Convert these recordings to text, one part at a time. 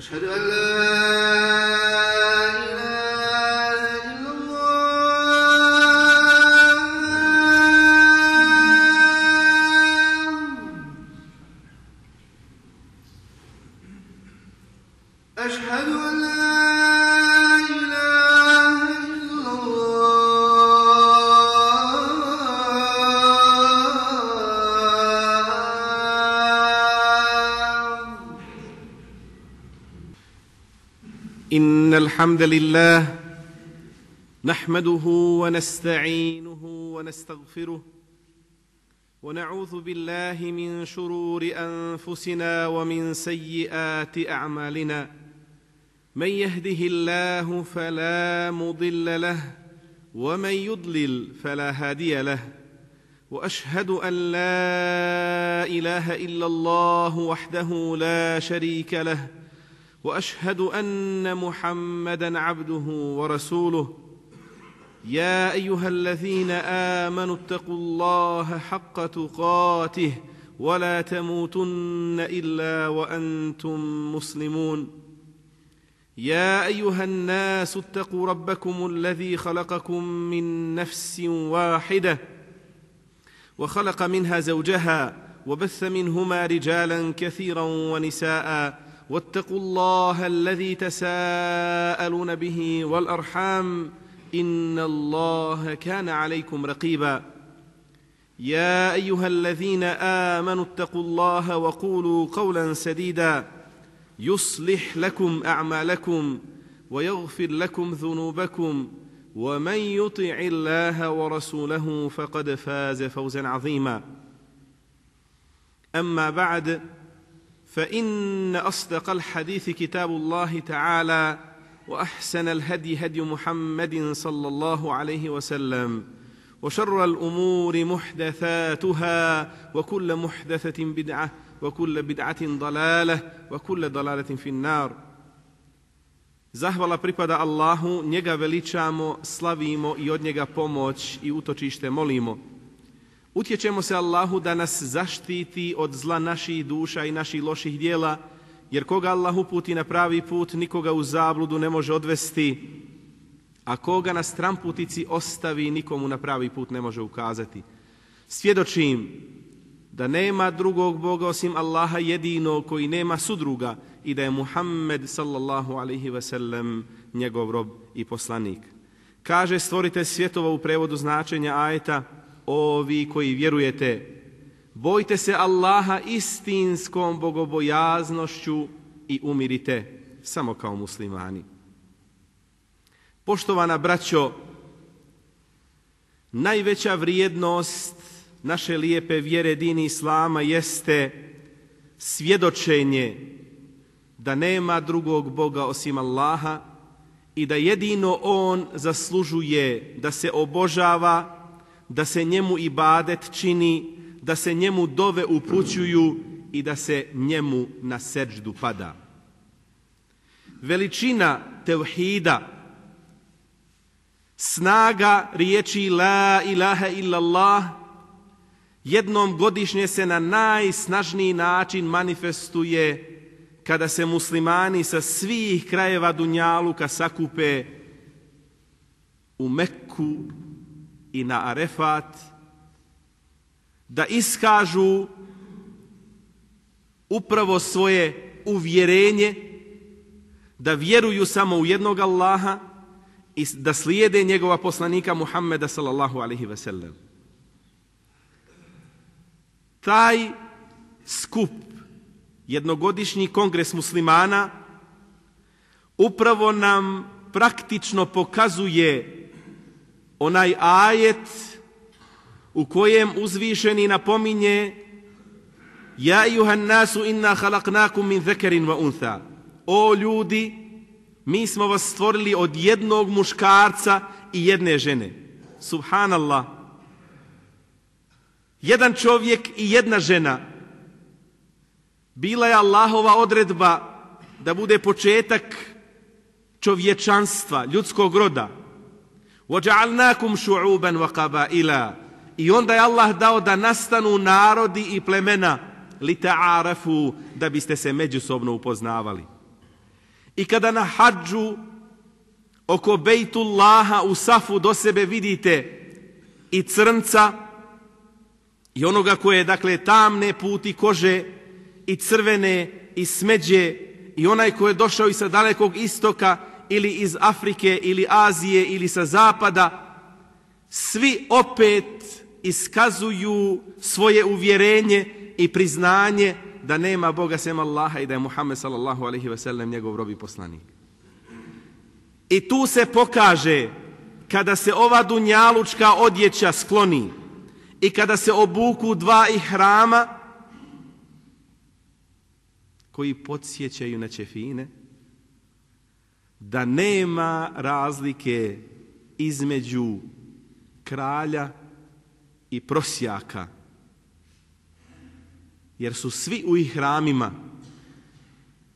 أشهد أن لا إن الحمد لله نحمده ونستعينه ونستغفره ونعوذ بالله من شرور أنفسنا ومن سيئات أعمالنا من يهده الله فلا مضل له ومن يضلل فلا هادي له وأشهد أن لا إله إلا الله وحده لا شريك له وأشهد أن محمدًا عبده ورسوله يا أيها الذين آمنوا اتقوا الله حق تقاته ولا تموتن إلا وأنتم مسلمون يا أيها الناس اتقوا ربكم الذي خلقكم من نفس واحدة وخلق منها زوجها وبث منهما رجالا كثيرا ونساء واتقوا الله الذي تساءلون به والأرحام إن الله كان عليكم رقيبا يا أيها الذين آمنوا اتقوا الله وقولوا قولا سديدا يصلح لكم أعمالكم ويغفر لكم ذنوبكم ومن يطع الله ورسوله فقد فاز فوزا عظيما أما بعد فإن أصدق الحديث كتاب الله تعالى وأحسن الهدي هدي محمد صلى الله عليه وسلم وشر الأمور محدثاتها وكل محدثة بدعة وكل بدعة ضلالة وكل ضلالة في النار. Zahvala pripada Allahu, njega veličamo, slavimo i od njega pomoć i utočište molimo. Utječemo se Allahu da nas zaštiti od zla naših duša i naših loših dijela, jer koga Allah uputi na pravi put, nikoga u zabludu ne može odvesti, a koga na stramputici ostavi, nikomu na pravi put ne može ukazati. Svjedočim da nema drugog Boga osim Allaha jedinog koji nema sudruga i da je Muhammed sallallahu alaihi ve sellem njegov rob i poslanik. Kaže stvoritelj svjetova u prevodu značenja ajeta: O vi koji vjerujete, bojte se Allaha istinskom bogobojaznošću i umirite samo kao muslimani. Poštovana braćo, najveća vrijednost naše lijepe vjere dini Islama jeste svjedočenje da nema drugog Boga osim Allaha i da jedino On zaslužuje da se obožava, da se njemu ibadet čini, da se njemu dove upućuju i da se njemu na seđdu pada. Veličina tevhida, snaga riječi la ilaha illallah jednom godišnje se na najsnažniji način manifestuje kada se muslimani sa svih krajeva dunjaluka sakupe u Mekku i na Arefat, da iskažu upravo svoje uvjerenje, da vjeruju samo u jednog Allaha i da slijede njegova poslanika Muhammeda sallallahu alaihi ve sellem. Taj skup, jednogodišnji kongres muslimana, upravo nam praktično pokazuje onaj ajet u kojem uzvišeni napominje: Ja ejuhan nasu inna halaknakum min zekerin wa untha. O ljudi, mi smo vas stvorili od jednog muškarca i jedne žene. Subhanallah. Jedan čovjek i jedna žena. Bila je Allahova odredba da bude početak čovječanstva, ljudskog roda. وَجَعَلْنَاكُمْ شُعُوبًا وَقَبَائِلًا. I onda je Allah dao da nastanu narodi i plemena, لِتَعَارَفُوا, da biste se međusobno upoznavali. I kada na hadžu oko Bejtullaha u safu do sebe vidite i crnca i onoga koje je, dakle, tamne puti kože i crvene i smeđe i onaj ko je došao i sa dalekog istoka ili iz Afrike ili Azije ili sa zapada, svi opet iskazuju svoje uvjerenje i priznanje da nema Boga sem Allaha i da je Muhammed sallallahu alejhi ve sellem njegov rob i poslanik. I tu se pokaže, kada se ova dunjalučka odjeća skloni i kada se obuku dva ihrama koji podsjećaju na ćefine, da nema razlike između kralja i prosjaka, jer su svi u ihramima.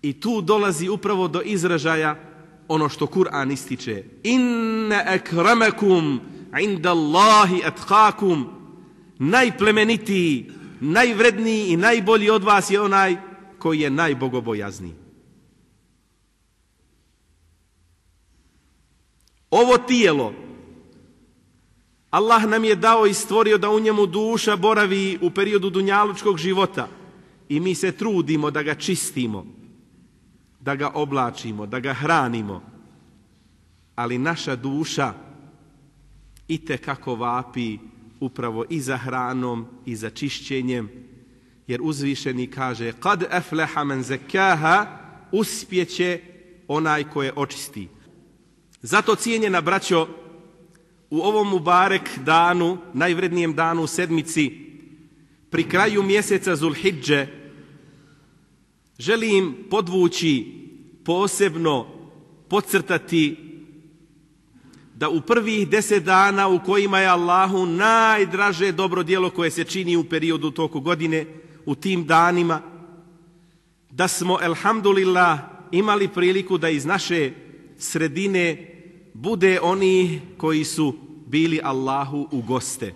I tu dolazi upravo do izražaja ono što Kur'an ističe: Inne akramakum inda Allahi atqakum. Najplemenitiji, najvredniji i najbolji od vas je onaj koji je najbogobojazniji. Ovo tijelo Allah nam je dao i stvorio da u njemu duša boravi u periodu dunjalučkog života i mi se trudimo da ga čistimo, da ga oblačimo, da ga hranimo. Ali naša duša itekako vapi upravo i za hranom i za čišćenjem, jer uzvišeni kaže: Kad aflaha man zakaha, uspjeće onaj koje očisti. Zato, cijenjena braćo, u ovom mubarek danu, najvrednijem danu u sedmici, pri kraju mjeseca Zulhidže, želim podvući, posebno podcrtati da u prvih 10 dana u kojima je Allahu najdraže dobro djelo koje se čini u periodu toku godine, u tim danima, da smo, elhamdulillah, imali priliku da iz naše sredine bude oni koji su bili Allahu u goste,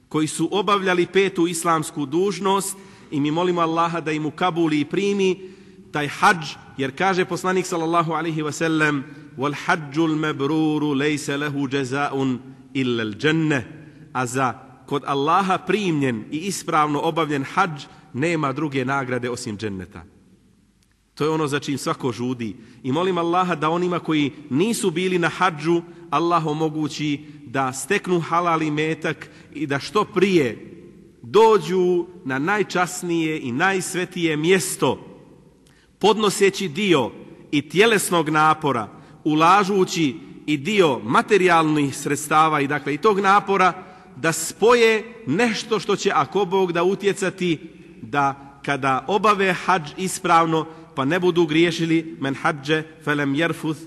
koji su obavljali 5. islamsku dužnost, i mi molimo Allaha da im ukabuli i primi taj hadž, jer kaže poslanik sallallahu alejhi ve sellem: Wal hajjul mabruru laysa lahu jazaa'un illa al-jannah. A za kod Allaha primljen i ispravno obavljen hadž nema druge nagrade osim dženneta. To je ono za čim svako žudi. I molim Allaha da onima koji nisu bili na hadžu, Allah omogući da steknu halal imetak i da što prije dođu na najčasnije i najsvetije mjesto, podnoseći dio i tjelesnog napora, ulažući i dio materijalnih sredstava i, dakle, i tog napora, da spoje nešto što će, ako Bog da, utjecati da kada obave hadž ispravno, pa ne budu griješili: men hadže felem jerfuth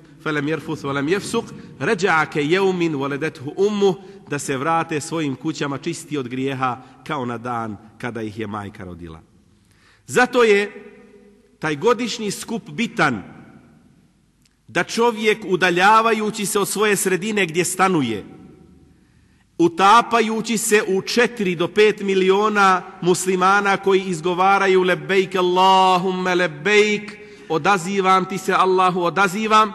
velem jefsuk ređa'a ke jeumin voledethu ummu, da se vrate svojim kućama čisti od grijeha kao na dan kada ih je majka rodila. Zato je taj godišnji skup bitan, da čovjek, udaljavajući se od svoje sredine gdje stanuje, utapajući se u 4 do 5 miliona muslimana koji izgovaraju lebejk Allahumme lebejk, odazivam ti se Allahu, odazivam,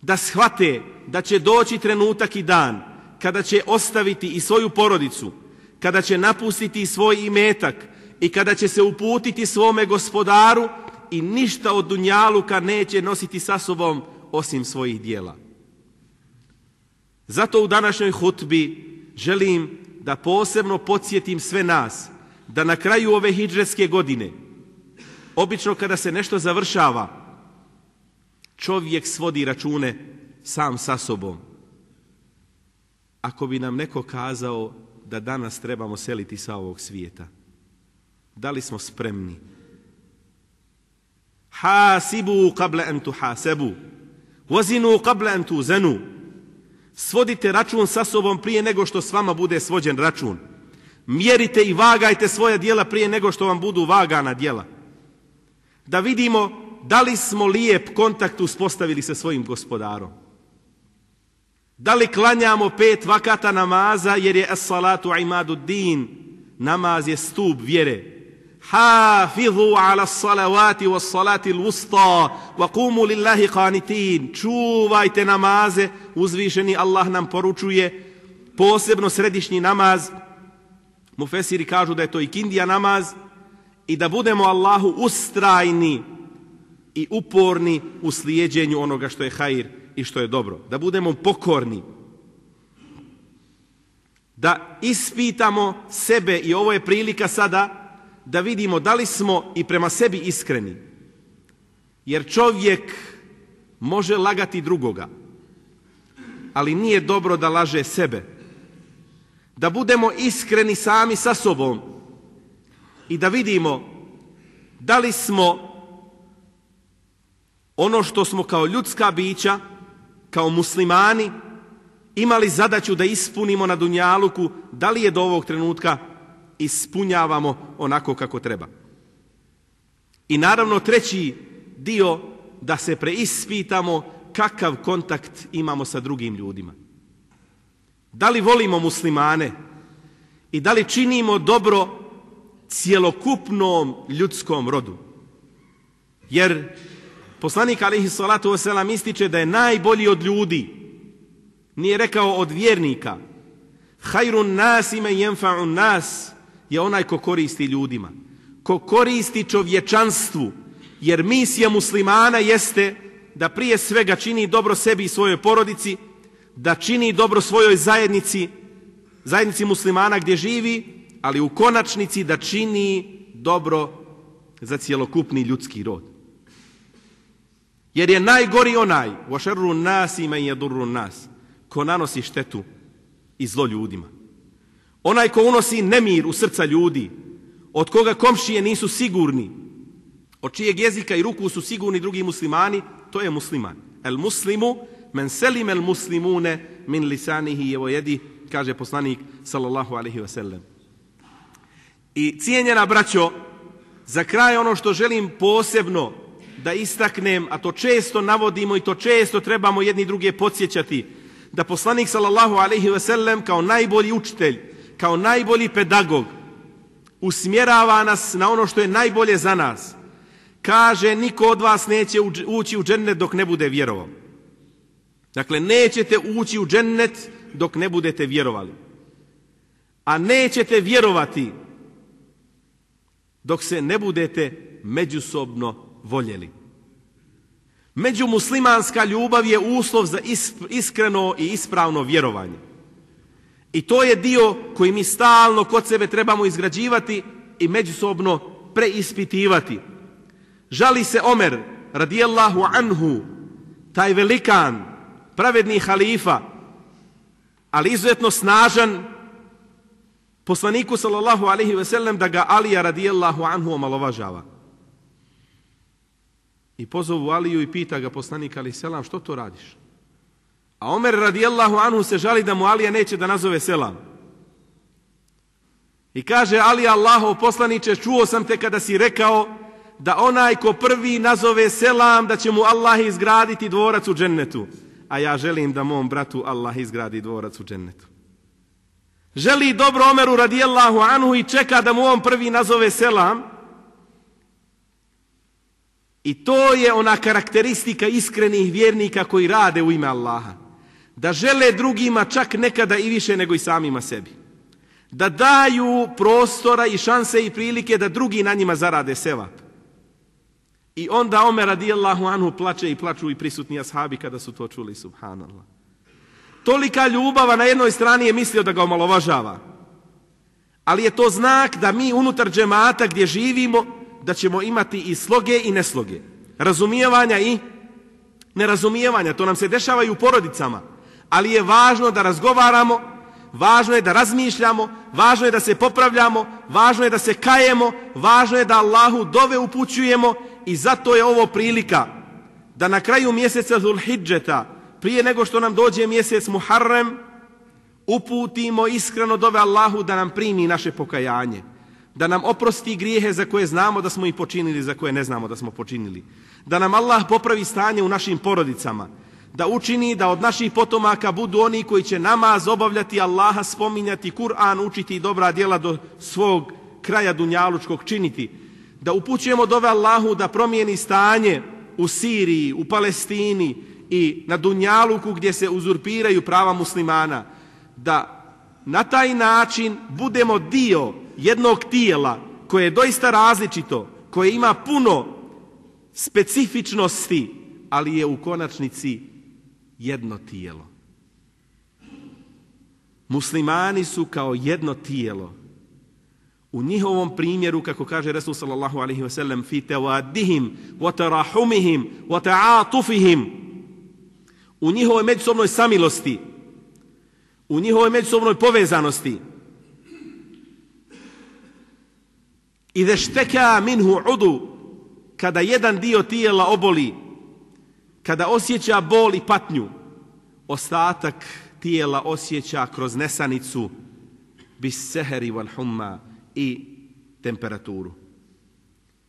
da shvate da će doći trenutak i dan kada će ostaviti i svoju porodicu, kada će napustiti svoj imetak i kada će se uputiti svome gospodaru i ništa od dunjaluka neće nositi sa sobom osim svojih dijela. Zato u današnjoj hutbi želim da posebno podsjetim sve nas da na kraju ove hidžretske godine, obično kada se nešto završava, čovjek svodi račune sam sa sobom. Ako bi nam neko kazao da danas trebamo seliti sa ovog svijeta? Da li smo spremni? Hasibu qabla an tuhasabu, wazinu qabla an tuzanu. Svodite račun sa sobom prije nego što s vama bude svođen račun. Mjerite i vagajte svoja djela prije nego što vam budu vagana djela. Da vidimo da li smo lijep kontakt uspostavili sa svojim gospodarom. Da li klanjamo 5 vakata namaza jer je as-salatu imadu din, namaz je stup vjere. Hafizu ala salavati was salati al-wusta wa qumu lillahi qanitin. Čuvajte namaze, uzvišeni Allah nam poručuje, posebno središnji namaz. Mufesiri kažu da je to ikindija namaz i da budemo Allahu ustrajni i uporni u slijeđenju onoga što je hajr i što je dobro. Da budemo pokorni. Da ispitamo sebe i ovo je prilika sada da vidimo da li smo i prema sebi iskreni. Jer čovjek može lagati drugoga, ali nije dobro da laže sebe. Da budemo iskreni sami sa sobom i da vidimo da li smo ono što smo kao ljudska bića, kao muslimani, imali zadaću da ispunimo na dunjaluku, da li je do ovog trenutka ispunjavamo onako kako treba. I naravno treći dio, da se preispitamo kakav kontakt imamo sa drugim ljudima. Da li volimo muslimane i da li činimo dobro cjelokupnom ljudskom rodu. Jer poslanik alejhi salatu vesselam ističe da je najbolji od ljudi, nije rekao od vjernika. Hayrun nasi men yanfa'un nas, je onaj ko koristi ljudima, ko koristi čovječanstvu, jer misija muslimana jeste da prije svega čini dobro sebi i svojoj porodici, da čini dobro svojoj zajednici muslimana gdje živi, ali u konačnici da čini dobro za cjelokupni ljudski rod. Jer je najgori onaj, wa sharru nasi man yadurru nas, ko nanosi štetu i zlo ljudima. Onaj ko unosi nemir u srca ljudi, od koga komšije nisu sigurni, od čijeg jezika i ruku su sigurni drugi muslimani, to je musliman. El muslimu men selim el muslimune min lisanihi wa yadi, kaže poslanik sallallahu alejhi ve sellem. I cijenjena braćo, za kraj ono što želim posebno da istaknem, a to često navodimo i to često trebamo jedni druge podsjećati, da poslanik sallallahu alejhi ve sellem kao najbolji učitelj, kao najbolji pedagog usmjerava nas na ono što je najbolje za nas. Kaže, niko od vas neće ući u džennet dok ne bude vjerovao. Dakle, nećete ući u džennet dok ne budete vjerovali. A nećete vjerovati dok se ne budete međusobno voljeli. Međumuslimanska ljubav je uslov za iskreno i ispravno vjerovanje. I to je dio koji mi stalno kod sebe trebamo izgrađivati i međusobno preispitivati. Žali se Omer radijallahu anhu, taj velikan, pravedni halifa, ali izuzetno snažan, poslaniku sallallahu alejhi ve sellem da ga Alija radijallahu anhu omalovažava. I pozovu Aliju i pita ga poslanik alejhi selam, što to radiš? A Omer radijallahu anhu se žali da mu Alija neće da nazove selam. I kaže Alija, Allahov poslaniče, čuo sam te kada si rekao da onaj ko prvi nazove selam da će mu Allah izgraditi dvorac u džennetu. A ja želim da mom bratu Allah izgradi dvorac u džennetu. Želi dobro Omeru radijallahu anhu i čeka da mu on prvi nazove selam. I to je ona karakteristika iskrenih vjernika koji rade u ime Allaha. Da žele drugima čak nekada i više nego i samima sebi. Da daju prostora i šanse i prilike da drugi na njima zarade sevap. I onda Omer radijallahu anhu plače i plaču i prisutni ashabi kada su to čuli, subhanallah. Tolika ljubava na jednoj strani je mislio da ga omalovažava. Ali je to znak da mi unutar džemata gdje živimo, da ćemo imati i sloge i nesloge. Razumijevanja i nerazumijevanja. To nam se dešava i u porodicama. Ali je važno da razgovaramo, važno je da razmišljamo, važno je da se popravljamo, važno je da se kajemo, važno je da Allahu dove upućujemo i zato je ovo prilika da na kraju mjeseca Zulhidžeta, prije nego što nam dođe mjesec Muharrem, uputimo iskreno dove Allahu da nam primi naše pokajanje, da nam oprosti grijehe za koje znamo da smo ih počinili, za koje ne znamo da smo počinili, da nam Allah popravi stanje u našim porodicama, da učini da od naših potomaka budu oni koji će namaz obavljati, Allaha spominjati, Kur'an učiti i dobra djela do svog kraja dunjalučkog činiti, da upućujemo dove Allahu da promijeni stanje u Siriji, u Palestini i na dunjaluku gdje se uzurpiraju prava muslimana, da na taj način budemo dio jednog tijela koje je doista različito, koje ima puno specifičnosti, ali je u konačnici jedno tijelo. Muslimani su kao jedno tijelo. U njihovom primjeru, kako kaže Resul sallallahu alaihi wa sallam, fi tewadihim, wa tarahumihim, wa ta'atufihim, u njihovoj međusobnoj samilosti, u njihovoj međusobnoj povezanosti. Ide šteka minhu udu, kada jedan dio tijela oboli, kada osjeća bol i patnju, ostatak tijela osjeća kroz nesanicu, bis seheri wal humma, i temperaturu.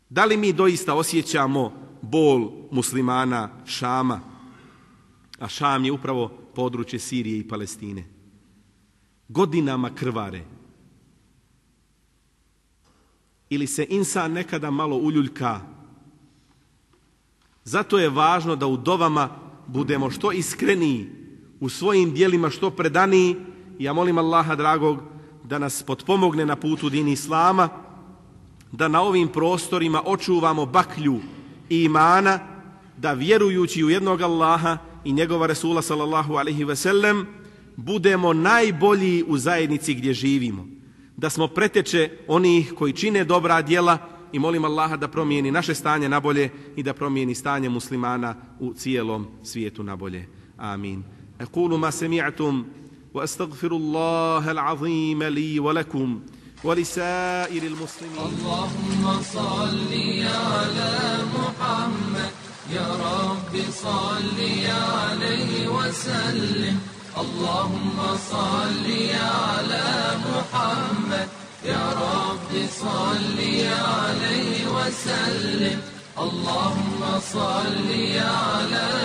Da li mi doista osjećamo bol muslimana Šama? A Šam je upravo područje Sirije i Palestine. Godinama krvare. Ili se insan nekada malo uljuljka. Zato je važno da u dovama budemo što iskreniji, u svojim dijelima što predaniji. Ja molim Allaha dragog da nas potpomogne na putu dini Islama, da na ovim prostorima očuvamo baklju i imana, da vjerujući u jednog Allaha i njegova Resula sallallahu alaihi ve sellem budemo najbolji u zajednici gdje živimo, da smo preteče onih koji čine dobra djela i molim Allaha da promijeni naše stanje na bolje i da promijeni stanje muslimana u cijelom svijetu na bolje. Amin. Aqulu ma sami'tum وأستغفر الله العظيم لي ولكم ولسائر المسلمين. اللهم صل على محمد يا رب صل عليه وسلم. اللهم صل على محمد يا رب صل عليه وسلم. اللهم صل على